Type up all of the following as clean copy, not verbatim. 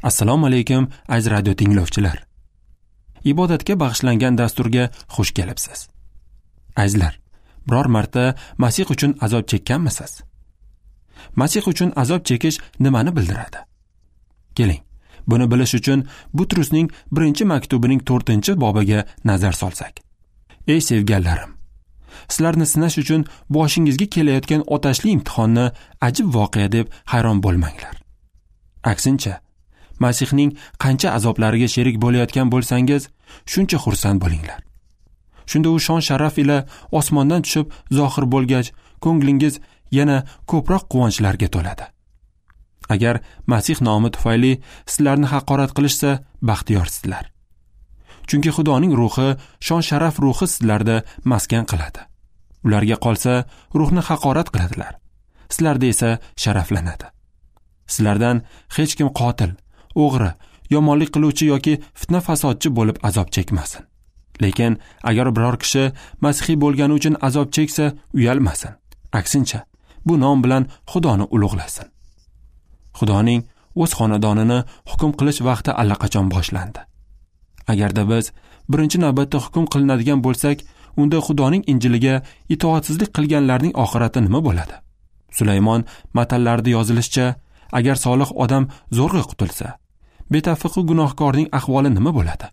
Assalomu alaykum, aziz radio tinglovchilar. Ibodatga bag'ishlangan dasturga xush kelibsiz. Azizlar, biror marta Masih uchun azob chekkanmisiz? Masih uchun azob chekish nimani bildiradi? Keling, buni bilish uchun Butrusning 1-maktubining 4-bobiga nazar solsak. Ey sevganlarim, sizlarni sinash uchun boshingizga kelayotgan otashli imtihonni ajib voqea deb hayron bo'lmanglar. Aksincha, Masihning qancha azoblariga sherik bo'layotgan bo'lsangiz, shuncha xursand bo'linglar. Shunda u shon sharaf ila osmondan tushib zohir bo'lgach, ko'nglingiz yana ko'proq quvonchlarga to'ladi. Agar Masih nomi tufayli sizlarni haqorat qilishsa, baxtiyorsizlar. Chunki Xudoning ruhi, shon sharaf ruhi sizlarda maskan qiladi. Ularga qolsa, ruhni haqorat qiladilar. Sizlarda esa sharaflanadi. Sizlardan hech kim qotil, o'g'ri, yomonlik qiluvchi yoki fitna fasodchi bo'lib azob chekmasin. Lekin agar biror kishi masihiy bo'lgani uchun azob cheksa, uyalmasin. Aksincha, bu nom bilan Xudoni ulug'lasin. Xudoning o'z xonadonini hukm qilish vaqti allaqachon boshlandi. Agarda biz birinchi navbatda hukm qilinadigan bo'lsak, unda Xudoning Injiliga itoatsizlik qilganlarning oxirati nima bo'ladi? Sulaymon matallarida yozilishicha, agar solih odam zo'rg'a qutulsa, betafiqu gunohkorning ahvoli nima bo'ladi?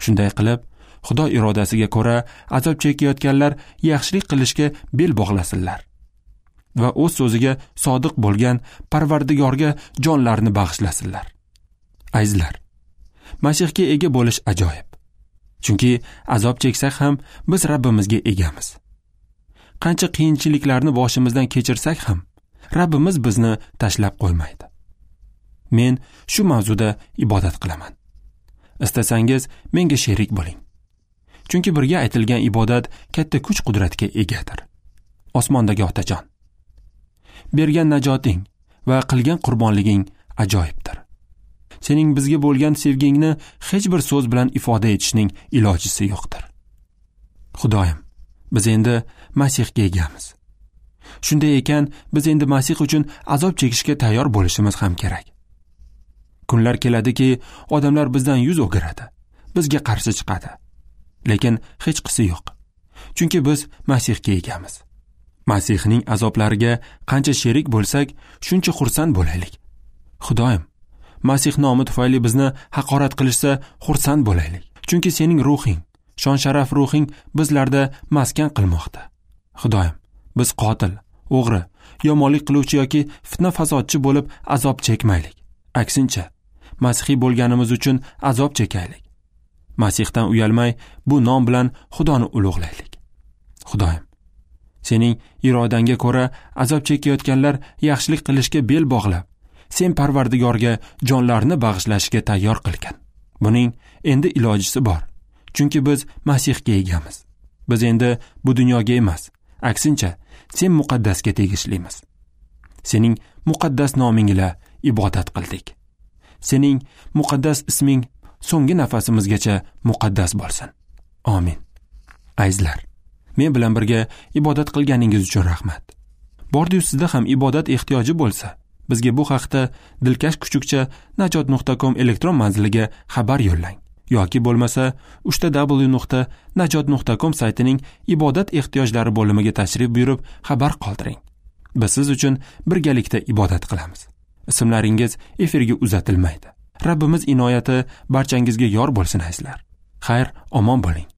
Shunday qilib, Xudo irodasiga ko'ra azob chekayotganlar yaxshilik qilishga bel bog'lasinlar va o'z so'ziga sodiq bo'lgan Parvardigorga jonlarini bag'ishlasinlar. Azizlar, Masihga ega bo'lish ajoyib. Chunki azob cheksak ham biz Rabbimizga egamiz. Qancha qiyinchiliklarni boshimizdan kechirsak ham Rabbimiz bizni tashlab qo'ymaydi. Men shu mavzuda ibodat qilaman. Istasangiz menga sherik bo'ling. Chunki birga aytilgan ibodat katta kuch-qudratga egadir. Osmondagi Otajon, bergan najoting va qilgan qurbonliging ajoyibdir. Sening bizga bo'lgan sevgingni hech bir so'z bilan ifoda etishning ilojisi yo'qdir. Xudoyim, biz endi Masihga egamiz. Shunday ekan, biz endi Masih uchun azob chekishga tayyor bo'lishimiz ham kerak. Kunlar keladiki, odamlar bizdan yuz o'giradi, bizga qarshi chiqadi. Lekin hechqisi yo'q. Chunki biz Masihga egamiz. Masihning azoblariga qancha sherik bo'lsak, shuncha xursand bo'laylik. Xudoyim, Masih nomi tufayli bizni haqorat qilishsa, xursand bo'laylik. Chunki sening ruhing, shon sharaf ruhing bizlarda maskan qilmoqda. Xudoyim, biz qotil, o'g'ri, yomonlik qiluvchi yoki fitna fasodchi bo'lib azob chekmaylik. Aksincha, masihiy bo'lganimiz uchun azob chekaylik. Masihdan uyalmay, bu nom bilan Xudoni ulug'laylik. Xudoyim, sening irodangga ko'ra azob chekayotganlar yaxshilik qilishga bel bog'lab, sen Parvardigorga jonlarini bag'ishlashga tayyor qilgan. Buning endi ilojisi bor. Chunki biz Masihga egamiz. Biz endi bu dunyoga emas, aksincha, sen muqaddasga tegishlimiz. Sening muqaddas noming ila ibodat qildik. Sening muqaddas isming so'nggi nafasimizgacha muqaddas bo'lsin. Amin. Azizlar, men bilan birga ibodat qilganingiz uchun rahmat. Bordi-yu sizda ham ibodat ehtiyoji bo'lsa, bizga bu haqda dilkash kuchukcha najot.com elektron manziliga xabar yo'llang yoki bo'lmasa www.najot.com saytining ibodat ehtiyojlari bo'limiga tashrif buyurib xabar qoldiring. Biz siz uchun birgalikda ibodat qilamiz. Ismlaringiz efirga uzatilmaydi. Rabbimiz inoyati barchangizga yor bo'lsin azizlar. Xayr, omon bo'ling.